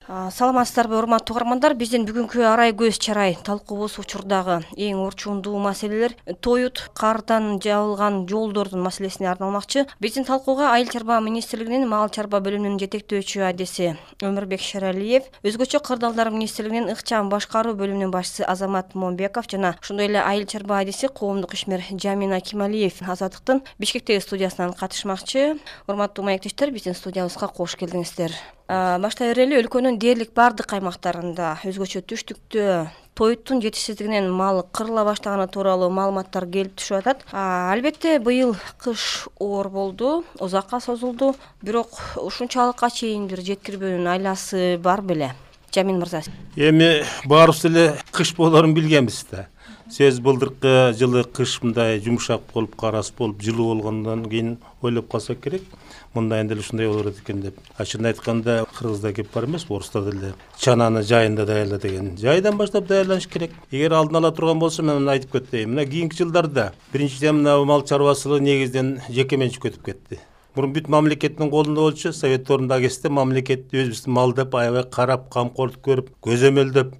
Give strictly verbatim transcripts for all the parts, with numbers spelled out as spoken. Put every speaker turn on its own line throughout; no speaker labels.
Саламатсыздарбы, урматтуу угармандар. Биздин бүгүнкү арай көз чарай талкуубуз учурдагы эң орчундуу маселелер тоют, кардан жабылган жолдордун маселесине арналмакчы. Биздин талкууга Айыл чарба министрлигинин Мал чарба бөлүмүнүн жетектөөчү адиси Өмүрбек Шералиев, өзгөчө кырдаалдар министрлигинин ыкчам башкаруу бөлүмүнүн башчысы Азамат Момбеков жана ошондой эле Айыл чарба адиси коомдук ишмер Жамин Акималиев Азаттыктын Бишкектеги студиясынан катышмакчы. Урматтуу маектештер, биздин студиябызга кош келдиңиздер. Баштай берели, өлкөнүн дээрлик бардык аймактарында, өзгөчө түштүктө тоюттун жетишсиздигинен мал кырыла баштаганы тууралуу маалыматтар келип түшүп атат. Албетте, быйыл кыш оор болду, узакка созулду, бирок ушунчалыкка чейин бир жеткирбөөнүн айласы бар беле. Жамин мырза.
Эми баарыбыз эле кыш болорун билгенбиз да. Сөз былдыркы жылы кыш мындай жумшак болуп, карас болуп, жылуу болгондон кийин ойлоп калсак керек. Мындайын деле ушундай болот экен деп. Ачыгын айтканда, кыргызда кеп бар эмес, орустар деле чананы жайында даярла деген. Жайдан баштап даярланыш керек. Эгер алдын ала турган болсо, мен муну айтып кетейин. Мына кийинки жылдарда биринчиден мына мал чарбачылыгы негизден жеке менчикке өтүп кетти. Мурун бүт мамлекеттин колунда болчу, совет орунда кезде мамлекет өзүбүздүн малдап, аябай карап, камкорлук көрүп, көзөмөлдөп,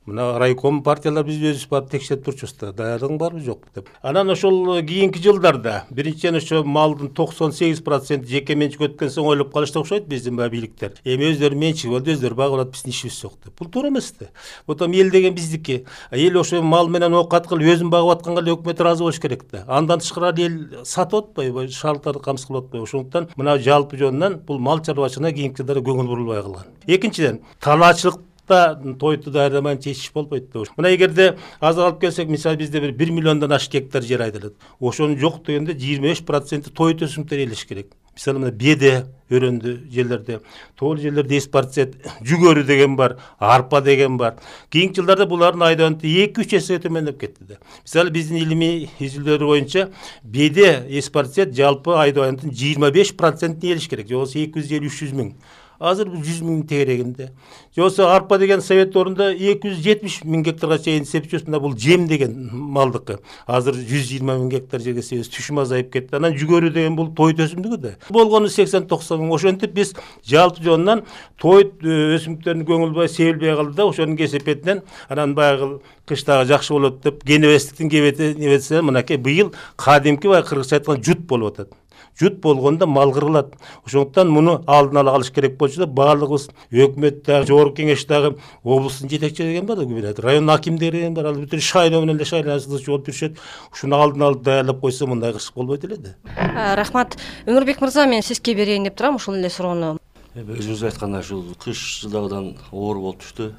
мына райком партиялар биз өзүбүз барып текшерип турчубуз да, даярдыгың барбы жокпу деп. Анан ошол кийинки жылдарда биринчиден ошо малдын токсон сегиз проценти жеке менчикке өткөн соң ойлоп калышты окшойт биздин баягы бийликтер. Эми өздөрү менчиги болду, өздөрү багып алат, биздин ишибиз жок деп. Бул туура эмес да. Потом эл деген биздики. Эл ошо мал менен оокат кылып өзүн багып атканга эле өкмөт ыраазы болуш керек да. Андан тышкары эл сатып атпайбы, шаардыктарды камсыз кылып атпайбы. Ошондуктан мына жалпы жөнүнөн бул мал чарбачылыгына кийинки жылдары көңүл бурулбай калган. Экинчиден, талаачылык тойту даярдамай чечиш болбойт да. Мына эгерде аз алып келсек, мисалы бизде бир бир миллиондон ашык гектар жер айдалат. Ошонун жок дегенде жыйырма беш проценти тоют өсүмдүктөр ээлеш керек. Мисалы мына беде өрөндү жерлерде, тоол жерлерде эс процент, жүгөрү деген бар, арпа деген бар. Кийинки жылдарда булардын айдоонту эки үч эсе төмөндөп кетти да. Мисалы биздин илимий изилдөөлөр боюнча беде эс процент жалпы айдоонтун жыйырма беш процентин ээлеш керек. Жобосу эки жүз элүү үч жүз миң. Азыр жүз миң тегерегинде. Жобосу арпа деген совет орунда эки жүз жетимиш миң гектарга чейин сепчүбүз. Мына бул жем деген малдыкы. Азыр жүз жыйырма миң гектар жерге себебиз, түшүм азайып кетти. Анан жүгөрү деген бул тоют өсүмдүгү да. Болгону сексен токсон миң. Ошентип биз жалпы жонунан тоют өсүмдүктөрүн көңүл бурбай себилбей калды да. Ошонун кесепетинен анан баягы кыштагы жакшы болот деп кенебестиктин кебети небесе мынакей быйыл кадимки бай кыргызча айтканда жут болуп атат. Жут болгондо мал кырылат. Ошондуктан муну алдын ала калыш керек болчу да, баардыгыбыз өкмөттө, жогорку кеңештеги облустун жетекчилери деген бар да, район акимдери деген бар, ал бүтүн шайлоо менен эле шайланышчу болуп жүрүшөт. Ушуну алдын алып даярдап койсо мындай кыш болбойт эле да.
Рахмат. Өмүрбек мырза, мен сизге берейин деп турам ушул эле суроону.
Өзүңүз айткандай ушул кыш жылдагыдан оор болуп түштү.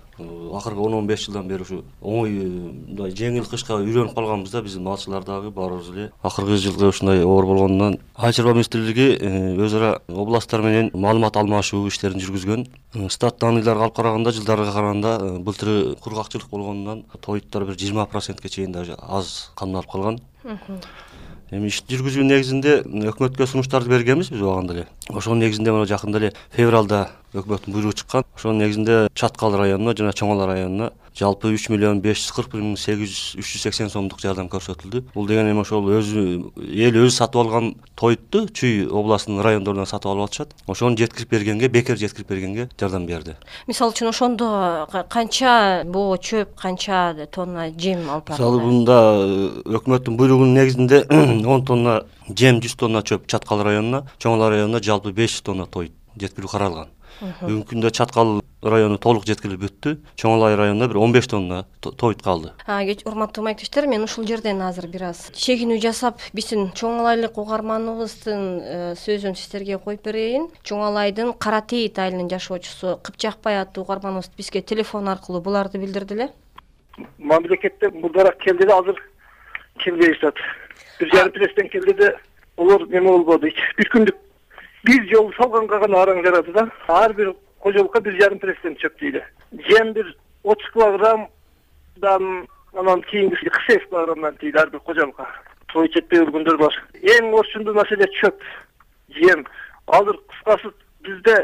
Акыркы он он беш жылдан бери ушу оңой мындай жеңил кышка үйрөнүп калганбыз да, биздин малчылар дагы баарыбыз эле. Акыркы жылы ушундай оор болгондон Айыл чарба министрлиги өз ара областтар менен маалымат алмашуу иштерин жүргүзгөн. Стат данныйларга алып караганда, жылдарга караганда былтыры кургакчылык болгондон тоюттар бир жыйырма процентке чейин даже аз камналып калган. Эми иш жүргүзүү негизинде өкмөткө сунуштарды бергенбиз биз убагында эле. Ошонун негизинде мына жакында эле февралда өкмөттүн буйругу чыккан. Ошонун негизинде Чаткал районуна жана Чоң Ала районуна жалпы үч миллион беш жүз кырк бир миң сегиз жүз үч жүз сексен сомдук жардам көрсөтүлдү. Бул деген эми ошол өзү эл өзү сатып алган тоютту Чүй областынын райондорунан сатып алып атышат. Ошону жеткирип бергенге, бекер жеткирип бергенге жардам берди.
Мисалы үчүн ошондо канча боо чөп, канча тонна жем алып барды?
Мисалы мында өкмөттүн буйругунун негизинде он тонна жем, жүз тонна чөп Чаткал районуна, Чоң Ала районуна жалпы беш жүз тонна тоют жеткирүү каралган. Бүгүнкү күндө Чаткал району толук жеткирилип бүттү. Чоң Ала районуна бир он беш тонна тоют калды.
Урматтуу маектештер, мен ушул жерден азыр бир аз чегинүү жасап, биздин Чоң Алайлык угарманыбыздын сөзүн сиздерге коюп берейин. Чоң Алайдын Кара Тейит айылынын жашоочусу Кыпчакбай аттуу угарманыбыз бизге телефон аркылуу буларды билдирди эле.
Мамлекетте мурдараак келди да, азыр келбей жатат. Бир жарым пресстен келди да, олар неме болбоду. Бир күндүк бир жол салганга гана араң жарады да. Ар бир кожолукка бир жарым пресстен чөп дейли. Жем бир отуз килограммдан анан кийинкиси кырк сегиз килограммдан дейли ар бир кожолукка. Той жетпей өлгөндөр бар. Эң орчундуу маселе чөп, жем. Азыр кыскасы бизде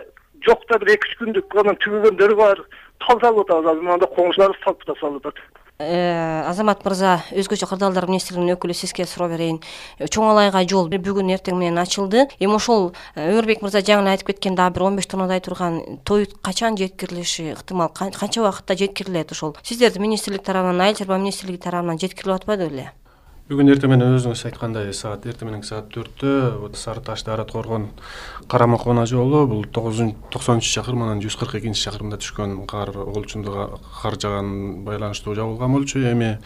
жокта бир эки үч күндүк анан түгөгөндөр бар. Тал салып атабыз, азыр мында коңшуларыбыз салып да салып атат.
Азамат мырза, өзгөчө кырдаалдар министрлигинин өкүлү, сизге суроо берейин. Чоң Алайга жол бүгүн эртең менен ачылды. Эми ошол Өмүрбек мырза жаңы айтып кеткен дагы бир он беш тоннадай турган Тоют качан жеткирилиши ыктымал, канча убакытта жеткирилет ошол? Сиздерди министрлик тарабынан, Айыл чарба министрлиги тарабынан жеткирилип атпады беле?
Бүгүн эртең менен өзүңүз айткандай саат эртең менен саат төрттө Сары Таш Дарат Коргон Карама Кона жолу бул токсонунчу чакырым анан жүз кырк экинчи чакырымда түшкөн кар олчунду кар жааган байланыштуу жабылган болчу. Эми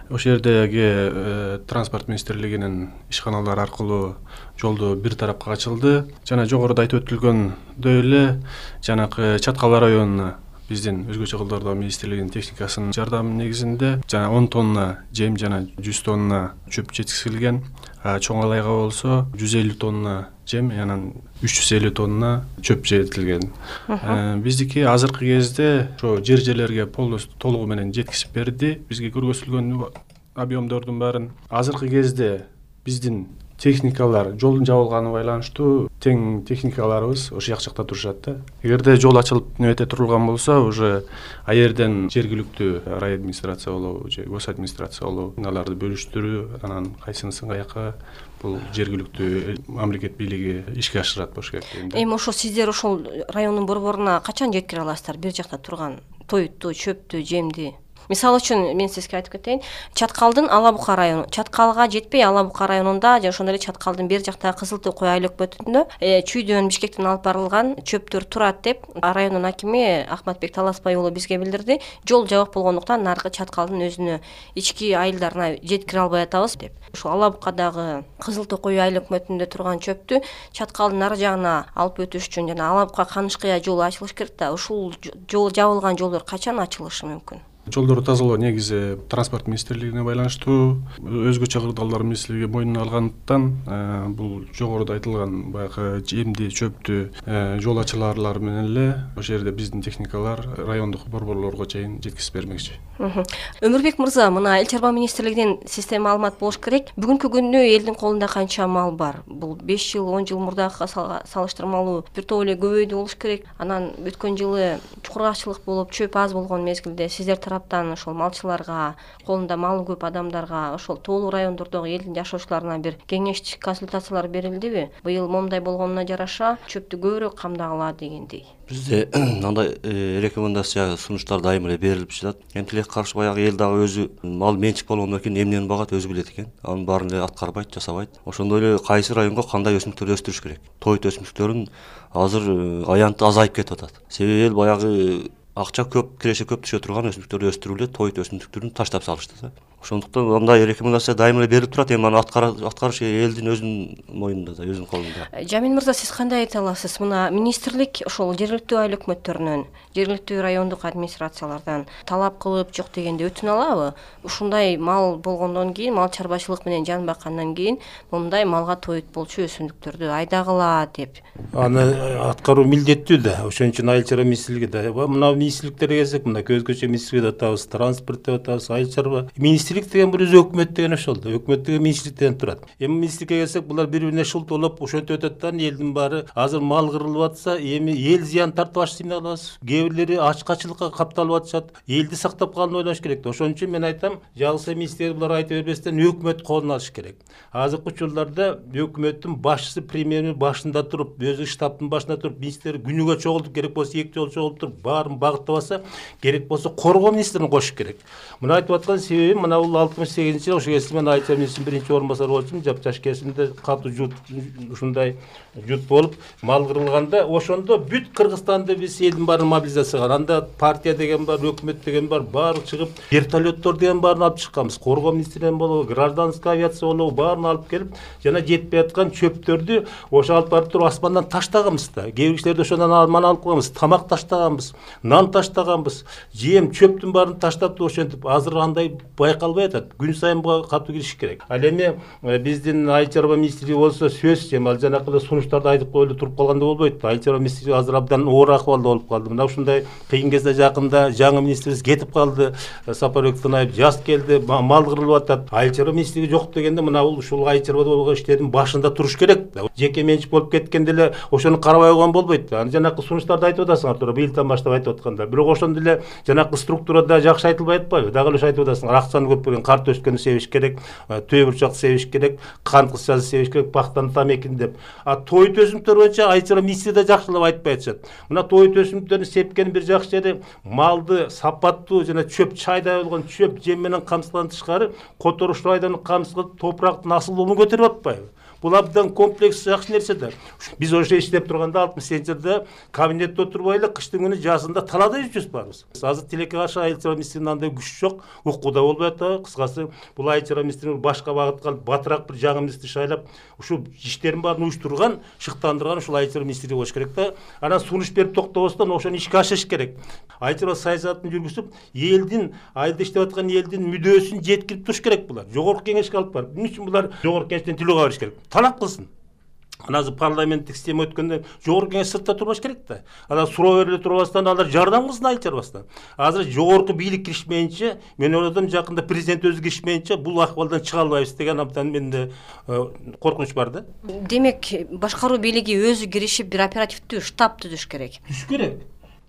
ошол жердеги транспорт министрлигинин ишканалары аркылуу жолду бир тарапка ачылды. Жана жогоруда айтып өтүлгөндөй эле жанакы Чаткал районуна биздин өзгөчө кылдардоо министрлигинин техникасынын жардамы негизинде жана он тонна жем жана жүз тонна чөп жеткизилген. Чоң Алайга болсо жүз элүү тонна жем анан үч жүз элүү тонна чөп жетилген. Биздики азыркы кезде ошо жер жерлерге полностью толугу менен жеткизип берди. Бизге көргөзүлгөн объемдордун баарын азыркы кезде биздин техникалар жолдун жабылганы байланыштуу тең техникаларыбыз ошол жакчакта турушат да. Эгерде жол ачылып небете турулган болсо, уже а жерден жергиликтүү рай администрация болобу же гос администрация болобу аларды бөлүштүрүү, анан кайсынысын каяка бул жергиликтүү мамлекет бийлиги ишке ашырат болуш керек дейм да.
Эми ошо сиздер ошол райондун борборуна качан жеткире аласыздар бир жакта турган Тоютту, чөптү, жемди? Мисалы үчүн мен сизге айтып кетейин, Чаткалдын Ала Бука району, Чаткалга жетпей Ала Бука районунда же ошондой эле Чаткалдын бер жактагы Кызыл Тоо кой айыл өкмөтүндө Чүйдөн Бишкектен алып барылган чөптөр турат деп райондун акими Ахматбек Таласбай уулу бизге билдирди. Жол жабык болгондуктан наркы Чаткалдын өзүнө ички айылдарына жеткире албай атабыз деп. Ошо Ала Букадагы Кызыл Тоо кой айыл өкмөтүндө турган чөптү Чаткалдын нары жагына алып өтүш үчүн жана Ала Бука Канышкыя жолу ачылыш керек да. Ушул жол жабылган жолдор качан ачылышы мүмкүн?
Жолдорду тазалоо негизи транспорт министрлигине байланыштуу, өзгөчө кырдаалдар министрлиги мойнуна алгандыктан бул жогоруда айтылган баягы жемди, чөптү жол ачылаарлар менен эле ошол жерде биздин техникалар райондук борборлорго чейин жеткизип бермекчи.
Өмүрбек мырза, мына Айыл чарба министрлигинин система маалымат болуш керек. Бүгүнкү күндө элдин колунда канча мал бар? Бул беш жыл, он жыл мурдагыга салыштырмалуу бир топ эле көбөйдү болуш керек. Анан өткөн жылы чукургаччылык болуп, чөп аз болгон мезгилде сиздер тараптан ошол малчыларга, колунда малы көп адамдарга, ошол тоолуу райондордогу элдин жашоочуларына бир кеңештик консультациялар берилдиби? Быйыл момундай болгонуна жараша чөптү көбүрөөк камдагыла дегендей.
Бизде андай рекомендация сунуштар дайым эле берилип жатат. Эмтилек каршы баягы эл дагы өзү мал менчик болгондон кийин эмнени багат өзү билет экен. Анын баарын эле аткарбайт, жасабайт. Ошондой эле кайсы районго кандай өсүмдүктөрдү өстүрүш керек. Тоют өсүмдүктөрүн азыр аянты азайып кетип атат. Себеби эл баягы акча көп, киреше көп түшө турган өсүмдүктөрдү өстүрүп эле Тоют өсүмдүктөрүн таштап салышты да. Ошондуктан андай рекомендация дайым эле берип турат, эми аны аткарыш элдин өзүнүн моюнунда да, өзүнүн колунда.
Жамин мырза, сиз кандай айта аласыз? Мына министрлик ошол жергиликтүү айыл өкмөттөрүнөн, жергиликтүү райондук администрациялардан талап кылып жок дегенде өтүнө алабы? Ушундай мал болгондон кийин, мал чарбачылык менен жан баккандан кийин мындай малга Тоют болчу өсүмдүктөрдү айдагыла деп.
Аны аткаруу милдеттүү да. Ошон үчүн айыл чарба министрлиги да. Мына министрликтерге келсек, мына өзгөчө министрлик деп атабыз, транспорт деп атабыз, айыл чарба. Министрлик деген бир өзү өкмөт деген ошол да. Өкмөт деген министрликтен турат. Эми министрликке келсек, булар бири-бирине шултулап ошентип өтөт да, элдин баары азыр мал кырылып атса, эми эл зыян тартып атышты эмне кылабыз? Кээ бирлери ачкачылыкка капталып атышат. Элди сактап калууну ойлош керек да. Ошон үчүн мен айтам, жалгыз министрлик булар айтып бербестен өкмөт колуна алыш керек. Азыркы учурларда өкмөттүн башчысы, премьердин башында туруп, өзү штабтын башында туруп, министр күнүгө чогултуп, керек болсо эки жолу чогултуп туруп, баарын багыттап алса, керек болсо коргоо министрин кошуш керек. Мына айтып аткан себебим, мына бул алтымыш сегизинчи жылы ошо кезде мен айыл чарба министринин биринчи орун басары болчумун, жапжаш кезинде катуу жут ушундай жут болуп мал кырылганда, ошондо бүт Кыргызстанды биз элдин баарын мобилизация кылган. Анда партия деген бар, өкмөт деген бар, баары чыгып, вертолеттор деген баарын алып чыкканбыз. Коргоо министринен болобу, гражданская авиация болобу, баарын алып келип, жана жетпей аткан чөптөрдү ошо алып барып туруп аспандан таштаганбыз да. Кээ бир кишилерди ошондон мана алып койганбыз, тамак таштаганбыз, нан таштаганбыз, жем, чөптүн баарын таштап ошентип азыр андай байкалып болбой атат. Күн сайын буга катуу киришиш керек. Ал эми биздин айыл чарба министрлиги болсо сөзсүз эми ал жанакы эле сунуштарды айтып коюлуп туруп калганда болбойт. Айыл чарба министрлиги азыр абдан оор акыбалда болуп калды. Мына ушундай кыйын кезде жакында жаңы министрибиз кетип калды. Сапарбек Тынаев жаз келди, мал кырылып атат. Айыл чарба министрлиги жок дегенде мына бул ушул айыл чарбада болгон иштердин башында туруш керек. Жеке менчик болуп кеткенде эле ошону карабай койгон болбойт. Аны жанакы сунуштарды айтып атасыңар туура быйылдан баштап айтып аткандар. Бирок ошондо эле жанакы структурада жакшы айтылбай атпайбы? Дагы эле айтып атасыңар. Акчаны көп берген карт өскөнү себиш керек, төө бурчакты себиш керек, кант кызчасы себиш керек, пактаны тамекини деп. А той төзүмдөр боюнча айыл чарба министри да жакшылап айтпай атышат. Мына той төзүмдөрүн сепкенин бир жакшы жери малды сапаттуу жана чөп чайдай болгон чөп жем менен камсызгандан тышкары которуштуу айдан камсыз кылып топурактын асылдуулугун көтөрүп атпайбы? Бул абдан комплекс жакшы нерсе да. Биз ошо иштеп турганда алтымыш сегизинчи жылда кабинетте отурбай эле кыштын күнү жазында талаада жүрчүбүз барыбыз. Азыр тилекке каршы айыл чарба министринин андай күчү жок, укууда болбой атабы. Кыскасы бул айыл чарба министрин башка багытка алып, батыраак бир жаңы министр шайлап, ушул иштерин баарын уюштурган, шыктандырган ушул айыл чарба министри болуш керек да. Анан сунуш берип токтобостон ошону ишке ашырыш керек. Айыл чарба саясатын жүргүзүп, элдин, айылда иштеп аткан элдин мүдөөсүн жеткирип туруш керек булар. Жогорку кеңешке алып барып, эмне үчүн булар жогорку кеңештен тилөөгө барыш керек? Талап кылсын. Анан азыр парламенттик система өткөндө жогорку кеңеш сыртта турбаш керек да. Анан суроо бериле турбастан алар жардам кылсын айыл чарбасына. Азыр жогорку бийлик киришмейинче, мен ойлодум жакында президент өзү киришмейинче бул акыбалдан чыга албайбыз деген абдан менде коркунуч бар да.
Демек, башкаруу бийлиги өзү киришип бир оперативдүү штаб түзүш керек.
Түзүш керек.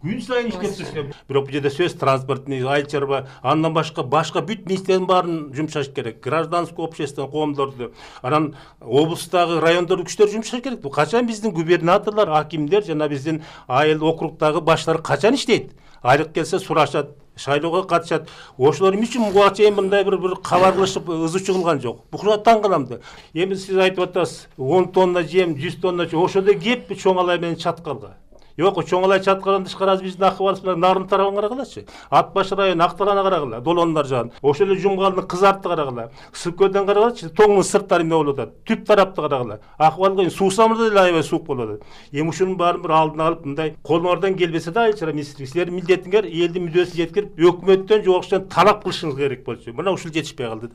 Күн сайын иштеп туруш керек. Бирок бул жерде сөз транспорт, айыл чарба, андан башка башка бүт министрлердин баарын жумшаш керек. Гражданский общество, коомдорду, анан облустагы райондордун күчтөрү жумшаш керек. Бул качан биздин губернаторлор, акимдер жана биздин айыл округдагы баштар качан иштейт? Айлык келсе сурашат, шайлоого катышат. Ошолор эмне үчүн буга чейин мындай бир бир кабар кылышып ызычуу кылган жок? Букуна таң калам да. Эми сиз айтып атасыз, он тонна жем, жүз тонна, ошондо кеп чоңалай менен чаткалга. Yok, Çoğalay çatkadan dışkarız bizden akıvarız, narın tarafına karagılaçı. Atbaşı rayonu, Aktarana karagıla, dolonlar can. O şöyle cumgalını kızarttı karagıla. Sıkkölden karagılaçı, toğunun sırtları ne olur da. Tüp tarafta karagıla. Akıvarlı suğsamırda da layıva suğuk olur. Yemişinin barın bir aldığını alıp, bunday, kolun oradan gelbese de ayılçıra ministri. Sizler milletin ger, eldi müdösü yetkirip, hükümetten, joğuştan talap kılışınız gerek bolçu. Buna uşul yetişmeye kaldı.